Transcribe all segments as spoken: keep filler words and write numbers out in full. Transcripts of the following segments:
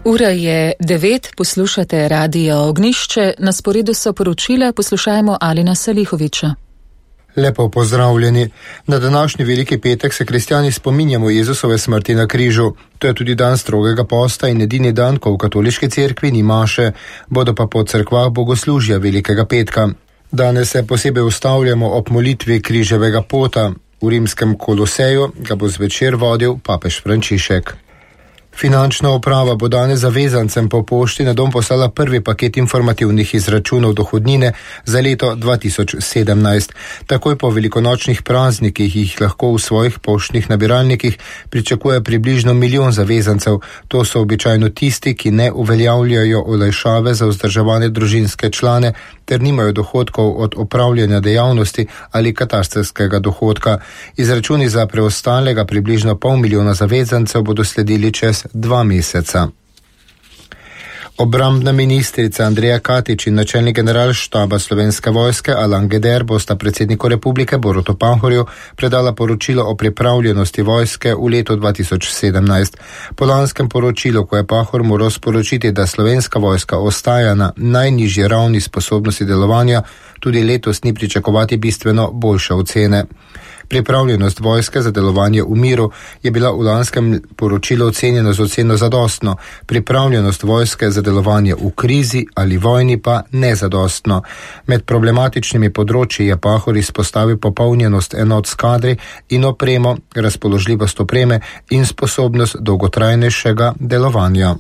Ura je devet, poslušate Radio Ognjišče, na sporedu so poročila, poslušajmo Alina Salihoviča. Lepo pozdravljeni. Na današnji veliki petek se kristjani spominjamo Jezusove smrti na križu. To je tudi dan strogega posta in edini dan, ko v katoliški cerkvi ni maše, bodo pa po cerkvah bogoslužja velikega petka. Danes se posebej ustavljamo ob molitvi križevega pota. V rimskem Koloseju ga bo zvečer vodil papež Frančišek. Finančna uprava bo danes zavezancem po pošti na dom poslala prvi paket informativnih izračunov dohodnine za leto dva tisoč sedemnajst. Takoj po velikonočnih praznikih jih lahko v svojih poštnih nabiralnikih pričakuje približno milijon zavezancev. To so običajno tisti, ki ne uveljavljajo olajšave za vzdrževane družinske člane ter nimajo dohodkov od opravljanja dejavnosti ali katastrskega dohodka. Izračuni za preostalega približno pol milijona zavezancev bodo sledili čez dva meseca. Obrambna ministrica Andreja Katič in načelnik generalštaba Slovenske vojske Alan Geder bosta predsedniku republike Borutu Pahorju predala poročilo o pripravljenosti vojske v letu dva tisoč sedemnajst. Po lanskem poročilu, ko je Pahor moral sporočiti, da Slovenska vojska ostaja na najnižji ravni sposobnosti delovanja, tudi letos ni pričakovati bistveno boljše ocene. Pripravljenost vojske za delovanje v miru je bila v lanskem poročilu ocenjena z oceno zadostno, pripravljenost vojske za delovanje v krizi ali vojni pa nezadostno. Med problematičnimi področji je Pahor izpostavil popolnjenost enot s kadri in opremo, razpoložljivost opreme in sposobnost dolgotrajnejšega delovanja.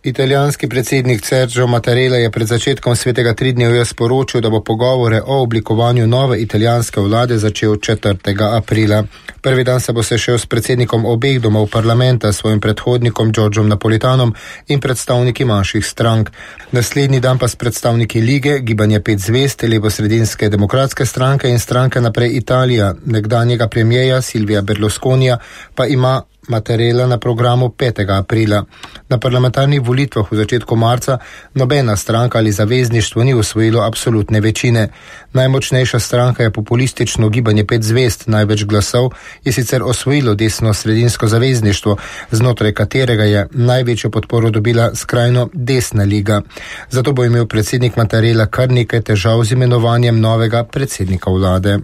Italijanski predsednik Sergio Mattarella je pred začetkom svetega tridnevja sporočil, da bo pogovore o oblikovanju nove italijanske vlade začel četrtega aprila. Prvi dan se bo sešel s predsednikom obeh domov parlamenta, svojim predhodnikom Giorgiom Napolitanom in predstavniki manjših strank. Naslednji dan pa s predstavniki Lige, Gibanje pet zvezd, levosredinske demokratske stranke in stranke Naprej Italija, nekdanjega premijeja Silvija Berlusconija, pa ima Mattarella na programu petega aprila. Na parlamentarnih volitvah v začetku marca nobena stranka ali zavezništvo ni osvojilo absolutne večine. Najmočnejša stranka je populistično Gibanje pet zvezd, največ glasov je sicer osvojilo desno-sredinsko zavezništvo, znotraj katerega je največjo podporo dobila skrajno desna liga. Zato bo imel predsednik Mattarella kar nekaj težav z imenovanjem novega predsednika vlade.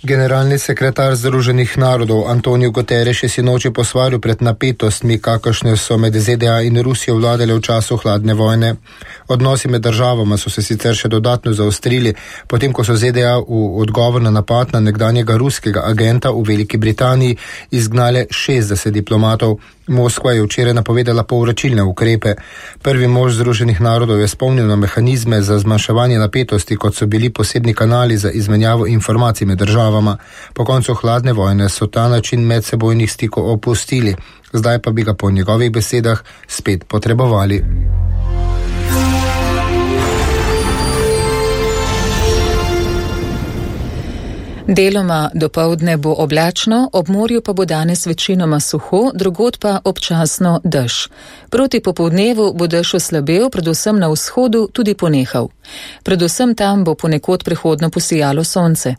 Generalni sekretar Združenih narodov Antonio Guterres je sinoči posvaril pred napetostmi, kakršne so med Z D A in Rusijo vladale v času hladne vojne. Odnosi med državama so se sicer še dodatno zaostrili, potem ko so Z D A v odgovor na napad na nekdanjega ruskega agenta v Veliki Britaniji izgnale šestdeset diplomatov. Moskva je včeraj napovedala povračilne ukrepe. Prvi mož Združenih narodov je spomnil na mehanizme za zmanjševanje napetosti, kot so bili posebni kanali za izmenjavo informacij med državama. Po koncu hladne vojne so ta način medsebojnih stikov opustili, zdaj pa bi ga po njegovih besedah spet potrebovali. Deloma dopoldne bo oblačno, ob morju pa bo danes večinoma suho, drugod pa občasno dež. Proti popoldnevu bo dež oslabel, predvsem na vzhodu tudi ponehal. Predvsem tam bo ponekod prehodno posijalo sonce.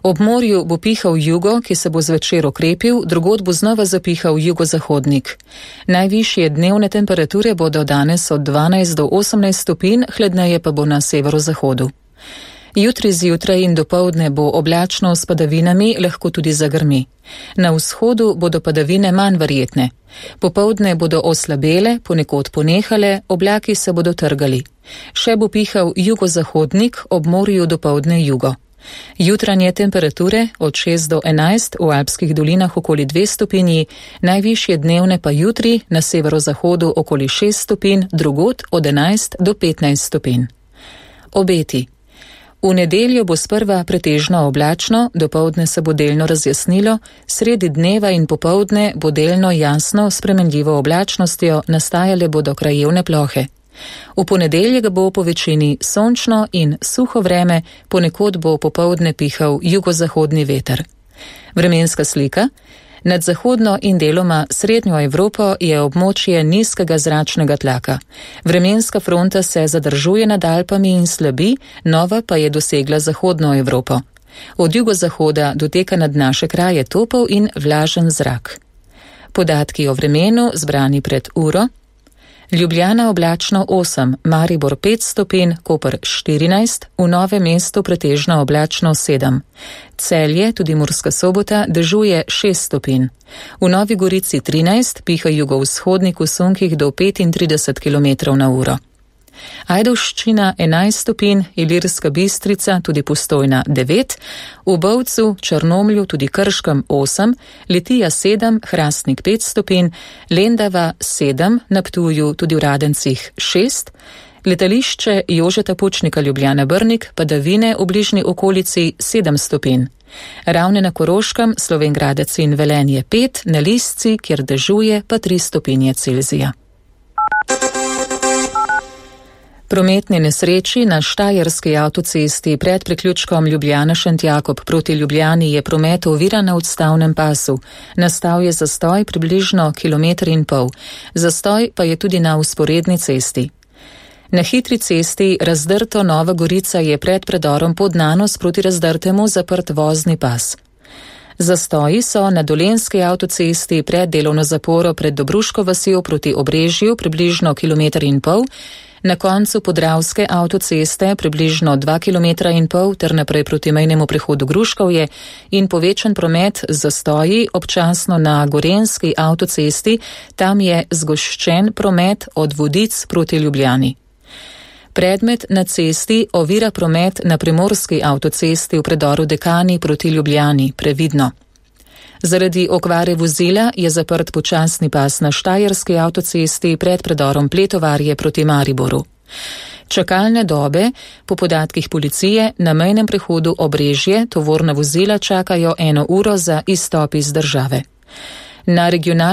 Ob morju bo pihal jugo, ki se bo zvečer okrepil, drugod bo znova zapihal jugozahodnik. Najvišje dnevne temperature bodo danes od dvanajst do osemnajst stopinj, hladneje pa bo na severozahodu. Jutri zjutraj in dopoldne bo oblačno s padavinami, lahko tudi zagrmi. Na vzhodu bodo padavine manj verjetne. Popoldne bodo oslabele, ponekod ponehale, oblaki se bodo trgali. Še bo pihal jugozahodnik, ob morju dopoldne jugo. Jutranje temperature od šest do enajst, v alpskih dolinah okoli dve stopinji, najvišje dnevne pa jutri na severozahodu okoli šest stopinj, drugod od enajst do petnajst stopinj. Obeti. V nedeljo bo sprva pretežno oblačno, dopoldne se bo delno razjasnilo, sredi dneva in popoldne bo delno jasno s spremenljivo oblačnostjo, nastajale bodo krajevne plohe. V ponedeljek bo po večini sončno in suho vreme, ponekod bo popoldne pihal jugozahodni veter. Vremenska slika. Nad zahodno in deloma srednjo Evropo je območje nizkega zračnega tlaka. Vremenska fronta se zadržuje nad Alpami in slabi, nova pa je dosegla zahodno Evropo. Od jugozahoda doteka nad naše kraje topel in vlažen zrak. Podatki o vremenu zbrani pred uro. Ljubljana oblačno osem, Maribor pet stopinj, Koper štirinajst, v Novem mestu pretežno oblačno sedem. Celje, tudi Murska Sobota, dežuje šest stopinj. V Novi Gorici trinajst, piha jugovzhodnik v sunkih do petintrideset kilometrov na uro. Ajdovščina enajst stopinj, Ilirska Bistrica, tudi Postojna devet, v Bovcu, Črnomlju, tudi Krškem osem, Litija sedem, Hrastnik pet stopinj, Lendava sedem, na Ptuju, tudi v Radencih šest, letališče Jožeta Pučnika Ljubljana Brnik, padavine v bližnji okolici sedem stopinj. Ravne na Koroškem, Slovenj Gradec in Velenje pet, na Lisci, kjer dežuje, pa tri stopinje Celzija. Prometni nesreči na Štajerski avtocesti pred priključkom Ljubljana-Šentjakob proti Ljubljani je promet oviran na odstavnem pasu. Nastal je zastoj približno kilometer in pol. Zastoj pa je tudi na vzporedni cesti. Na hitri cesti Razdrto Nova Gorica je pred predorom Podnanos proti Razdrtemu zaprt vozni pas. Zastoji so na Dolenjski avtocesti pred delovno zaporo pred Dobruško vasjo proti Obrežju približno kilometer in pol, na koncu Podravske avtoceste približno dva kilometra in pol ter naprej proti mejnemu prehodu Gruškovje in povečan promet z zastoji občasno na Gorenjski avtocesti, tam je zgoščen promet od Vodic proti Ljubljani. Predmet na cesti ovira promet na Primorski avtocesti v predoru Dekani proti Ljubljani, previdno. Zaradi okvare vozila je zaprt počasni pas na Štajerski avtocesti pred predorom Pletovarje proti Mariboru. Čakalne dobe, po podatkih policije, na mejnem prehodu Obrežje tovorna vozila čakajo eno uro za izstop iz države. Na regionalni